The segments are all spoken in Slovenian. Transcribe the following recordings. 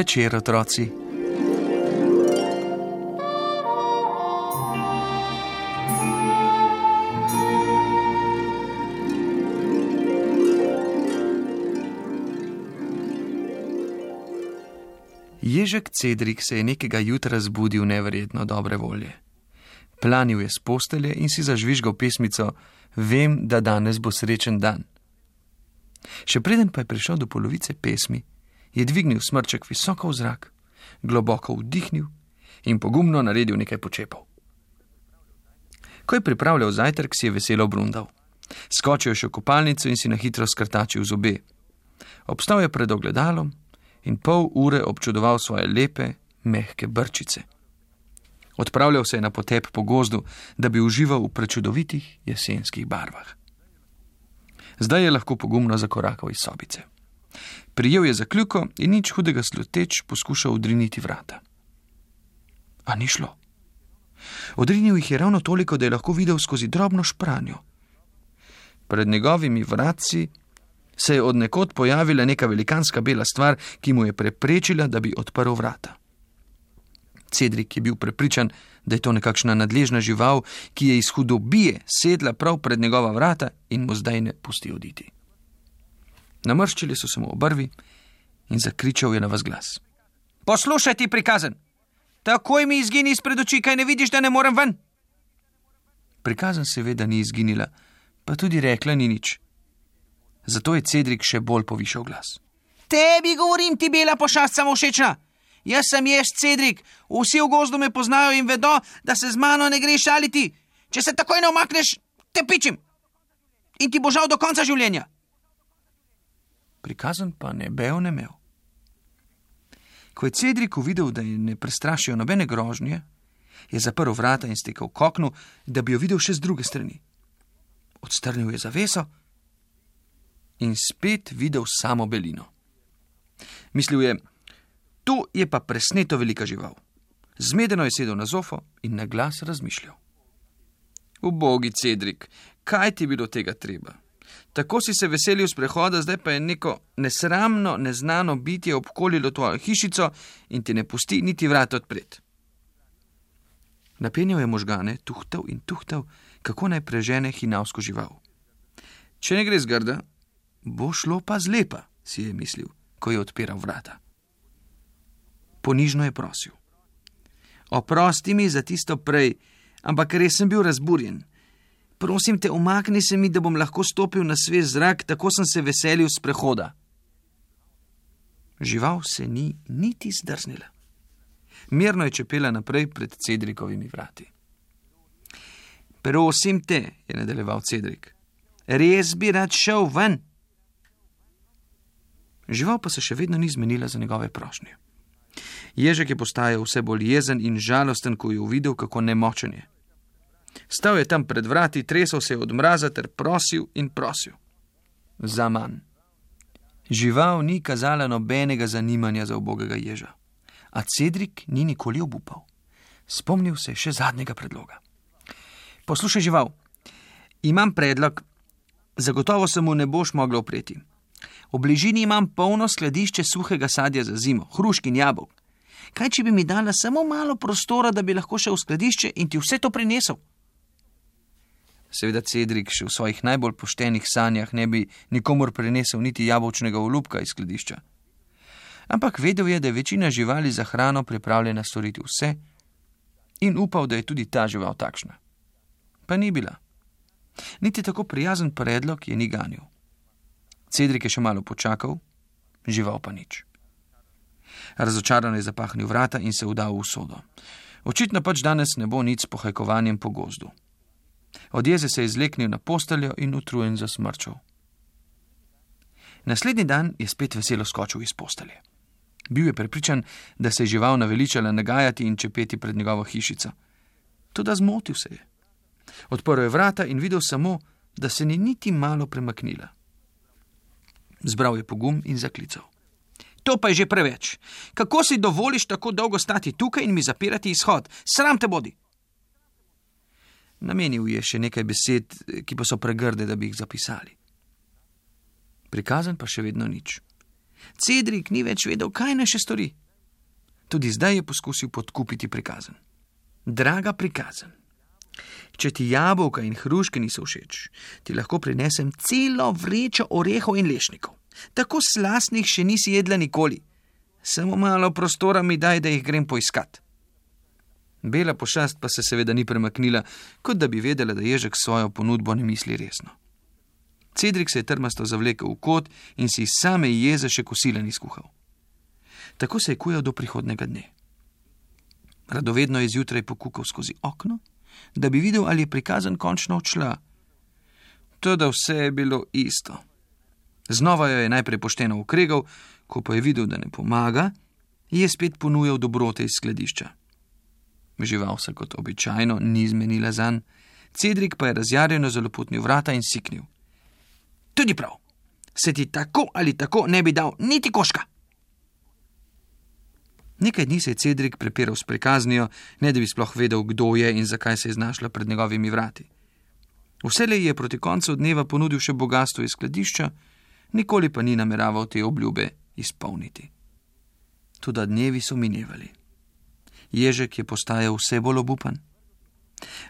večer, otroci. Ježek Cedrik se je nekega jutra zbudil neverjetno dobre volje. Planil je s postelje in si zažvižgal pesmico Vem, da danes bo srečen dan. Še preden pa je prišel do polovice pesmi, je dvignil smrček visoko v zrak, globoko vdihnil in pogumno naredil nekaj počepov. Ko je pripravljal zajtrk, si je veselo brundal. Skočil je še v kopalnico in si na hitro skrtačil zobe. Obstal je pred ogledalom in pol ure občudoval svoje lepe, mehke brčice. Odpravljal se je na potep po gozdu, da bi užival v prečudovitih jesenskih barvah. Zdaj je lahko pogumno zakorakal iz sobice. Prijel je za kljuko in nič hudega sluteč poskušal odriniti vrata. A ni šlo. Odrinil jih je ravno toliko, da je lahko videl skozi drobno špranjo. Pred njegovimi vratci se je od nekod pojavila neka velikanska bela stvar, ki mu je preprečila, da bi odprl vrata. Cedrik je bil prepričan, da je to nekakšna nadležna žival, ki je iz hudobije sedla prav pred njegova vrata in mu zdaj ne pusti oditi. Namrščili so se mu obrvi in zakričal je na ves glas. Poslušaj ti, prikazen! Takoj mi izgini izpred oči, kaj ne vidiš, da ne morem ven? Prikazen seveda ni izginila, pa tudi rekla ni nič. Zato je Cedrik še bolj povišal glas. Tebi govorim, ti bela pošast samovšečna! Jaz sem jež Cedrik, vsi v gozdu me poznajo in vedo, da se z mano ne greš šaliti. Če se takoj ne omakneš, te pičim. In ti bo žal do konca življenja. Prikazen pa ne bev ne mev. Ko je Cedrik uvidel, da je ne prestrašijo nobene grožnje, je zaprl vrata in stekel k oknu, da bi jo videl še z druge strani. Odstrnil je zaveso in spet videl samo belino. Mislil je, tu je pa presneto velika žival. Zmedeno je sedel na zofo in na glas razmišljal. Ubogi Cedrik, kaj ti je bilo tega treba? Tako si se veselil sprehoda, zdaj pa je neko nesramno, neznano bitje obkolilo tvojo hišico in ti ne pusti niti vrat odpret. Napenjal je možgane, tuhtal, kako naj prežene hinavsko žival. Če ne gre zgrda, bo šlo pa zlepa, si je mislil, ko je odpiral vrata. Ponižno je prosil. Oprosti mi za tisto prej, ampak res sem bil razburjen. Prosim te, umakni se mi, da bom lahko stopil na svež zrak, tako sem se veselil sprehoda. Žival se ni niti zdrznila. Mirno je čepela naprej pred Cedrikovimi vrati. Prosim te, je nadaljeval Cedrik, res bi rad šel ven. Žival pa se še vedno ni zmenila za njegove prošnje. Ježek je postajal vse bolj jezen in žalosten, ko je uvidel, kako nemočen je. Stal je tam pred vrati, tresel se je od mraza ter prosil in prosil. Za manj. Žival ni kazala nobenega zanimanja za ubogega ježa, a Cedrik ni nikoli obupal. Spomnil se še zadnjega predloga. Poslušaj, žival, imam predlog, zagotovo se mu ne boš mogla upreti. V bližini imam polno skladišče suhega sadja za zimo, hrušk in jabolk. Kaj, če bi mi dala samo malo prostora, da bi lahko šel v skladišče in ti vse to prinesel? Seveda Cedrik še v svojih najbolj poštenih sanjah ne bi nikomur prinesel niti jabolčnega olupka iz skladišča. Ampak vedel je, da je večina živali za hrano pripravljena storiti vse in upal, da je tudi ta žival takšna. Pa ni bila. Niti tako prijazen predlog je ni ganil. Cedrik je še malo počakal, žival pa nič. Razočarano je zapahnil vrata in se vdal v usodo. Očitno pač danes ne bo nič s pohajkovanjem po gozdu. Od jeze se je izleknil na posteljo in utrujen zasmrčal. Naslednji dan je spet veselo skočil iz postelje. Bil je prepričan, da se je žival naveličala nagajati in čepeti pred njegovo hišico. Toda zmotil se je. Odprl je vrata in videl samo, da se ni niti malo premaknila. Zbral je pogum in zaklical. To pa je že preveč. Kako si dovoliš tako dolgo stati tukaj in mi zapirati izhod? Sram te bodi. Namenil je še nekaj besed, ki pa so pregrde, da bi jih zapisali. Prikazen pa še vedno nič. Cedrik ni več vedel, kaj naj še stori. Tudi zdaj je poskusil podkupiti prikazen. Draga prikazen, če ti jabolka in hruške niso všeč, ti lahko prinesem celo vrečo orehov in lešnikov. Tako slastnih še nisi jedla nikoli. Samo malo prostora mi daj, da jih grem poiskat. Bela pošast pa se seveda ni premaknila, kot da bi vedela, da Ježek svojo ponudbo ne misli resno. Cedrik se je trmasto zavlekel v kot in si iz same jeze še kosila ni skuhal. Tako se je kujal do prihodnega dne. Radovedno je zjutraj pokukal skozi okno, da bi videl, ali je prikazen končno odšla. Toda vse je bilo isto. Znova jo je najprej pošteno ukregal, ko pa je videl, da ne pomaga, je spet ponujal dobrote iz skladišča. Žival se kot običajno ni zmenila zanj, Cedrik pa je razjarjeno zaloputnil vrata in siknil. Tudi prav, se ti tako ali tako ne bi dal niti koška. Nekaj dni se je Cedrik prepiral s prikaznijo, ne da bi sploh vedel, kdo je in zakaj se je znašla pred njegovimi vrati. Vselej je proti koncu dneva ponudil še bogastvo iz skladišča, nikoli pa ni nameraval te obljube izpolniti. Toda dnevi so minevali. Ježek je postajal vse bolj obupan.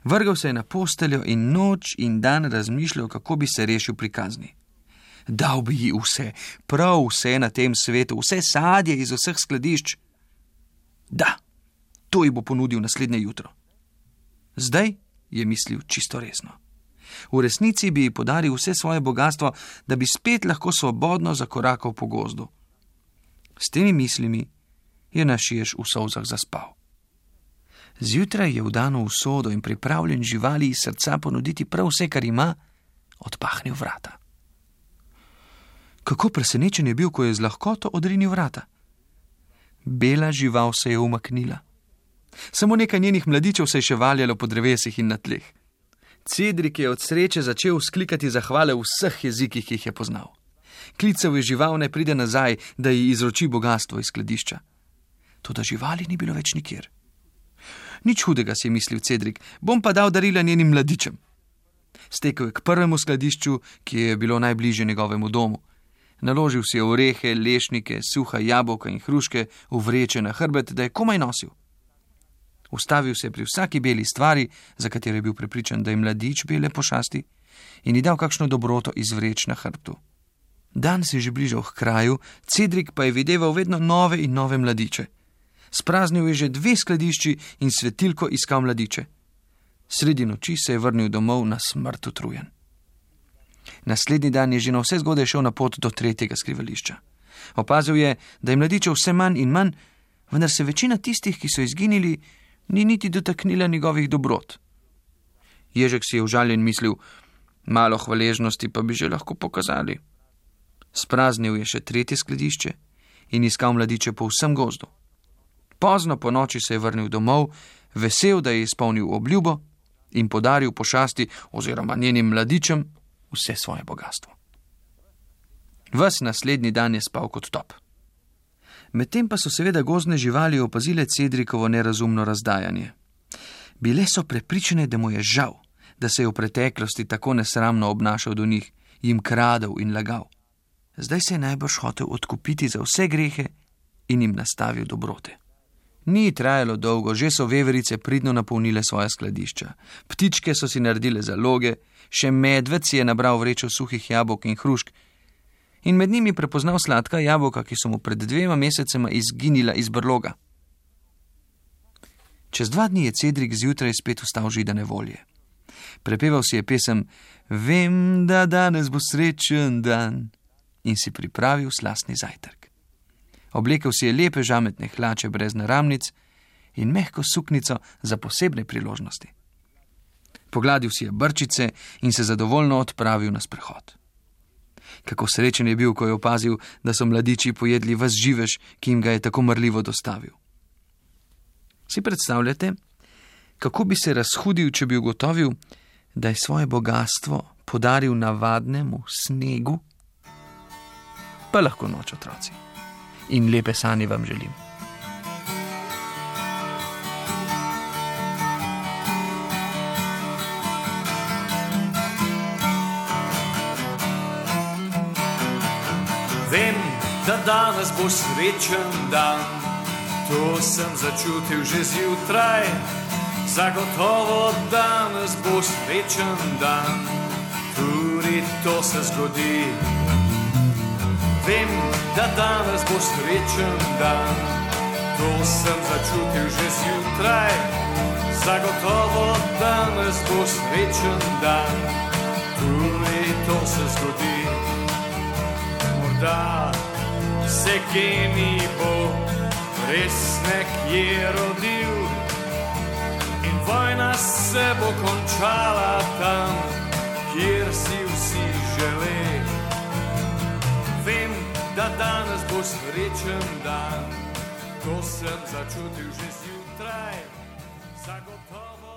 Vrgal se je na posteljo in noč in dan razmišljal, kako bi se rešil prikazni. Dal bi ji vse, prav vse na tem svetu, vse sadje iz vseh skladišč. Da, to ji bo ponudil naslednje jutro. Zdaj je mislil čisto resno. V resnici bi ji podaril vse svoje bogastvo, da bi spet lahko svobodno zakorakal po gozdu. S temi mislimi je naš Jež v solzah zaspal. Zjutraj je vdano v sodo in pripravljen živali iz srca ponuditi prav vse, kar ima, odpahnil vrata. Kako presenečen je bil, ko je z lahkoto odrinil vrata. Bela žival se je umaknila. Samo nekaj njenih mladičev se je še valjalo po drevesih in na tleh. Cedrik je od sreče začel vzklikati zahvale v vseh jezikih, ki jih je poznal. Klical je žival, naj pride nazaj, da ji izroči bogastvo iz skladišča. Toda živali ni bilo več nikjer. Nič hudega, si je mislil Cedrik, bom pa dal darila njenim mladičem. Stekel je k prvemu skladišču, ki je bilo najbližje njegovemu domu. Naložil si je orehe, lešnike, suha jabolka in hruške v vreče na hrbet, da je komaj nosil. Ustavil se je pri vsaki beli stvari, za katero je bil prepričan, da je mladič bele pošasti, in ji dal kakšno dobroto iz vreč na hrbtu. Dan se je že bližal k kraju, Cedrik pa je videval vedno nove in nove mladiče. Spraznil je že 2 skladišči in svetilko iskal mladiče. Sredi noči se je vrnil domov na smrt utrujen. Naslednji dan je že na vse zgodaj šel na pot do 3. skrivališča. Opazil je, da je mladičev vse manj in manj, vendar se večina tistih, ki so izginili, ni niti dotaknila njegovih dobrot. Ježek si je užaljen mislil, malo hvaležnosti pa bi že lahko pokazali. Spraznil je še 3. skladišče in iskal mladiče po vsem gozdu. Pozno po noči se je vrnil domov, vesel, da je izpolnil obljubo in podaril pošasti oziroma njenim mladičem vse svoje bogastvo. Ves naslednji dan je spal kot top. Medtem pa so seveda gozdne živali opazile Cedrikovo nerazumno razdajanje. Bile so prepričane, da mu je žal, da se je v preteklosti tako nesramno obnašal do njih, jim kradel in lagal. Zdaj se je najbrž hotel odkupiti za vse grehe in jim nastavil dobrote. Ni trajalo dolgo, že so veverice pridno napolnile svoje skladišča. Ptičke so si naredile zaloge, še medved si je nabral vrečo suhih jabolk in hrušk in med njimi prepoznal sladka jabolka, ki so mu pred 2 mesecema izginila iz brloga. Čez 2 dni je Cedrik zjutraj spet vstal židane volje. Prepeval si je pesem Vem, da danes bo srečen dan in si pripravil slastni zajtrk. Oblekel si je lepe žametne hlače brez naramnic in mehko suknico za posebne priložnosti. Pogladil si je brčice in se zadovoljno odpravil na sprehod. Kako srečen je bil, ko je opazil, da so mladiči pojedli ves živež, ki jim ga je tako marljivo dostavil. Si predstavljate, kako bi se razhudil, če bi ugotovil, da je svoje bogastvo podaril navadnemu snegu? Pa lahko noč, otroci. In lepe sanje vam želim. Vem, da danes bo srečen dan, To sem začutil že zjutraj, zagotovo danes bo srečen dan, tudi to se zgodi. Vem, da danes bo srečen dan, to sem začutil že zjutraj, zagotovo danes bo srečen dan, tudi to se zgodi. Morda se genij bo res nekje rodil in vojna se bo končala tam, kjer si vsi žele. Vem, da danes bo srečen dan, to sem začutil že zjutraj, zagotovo.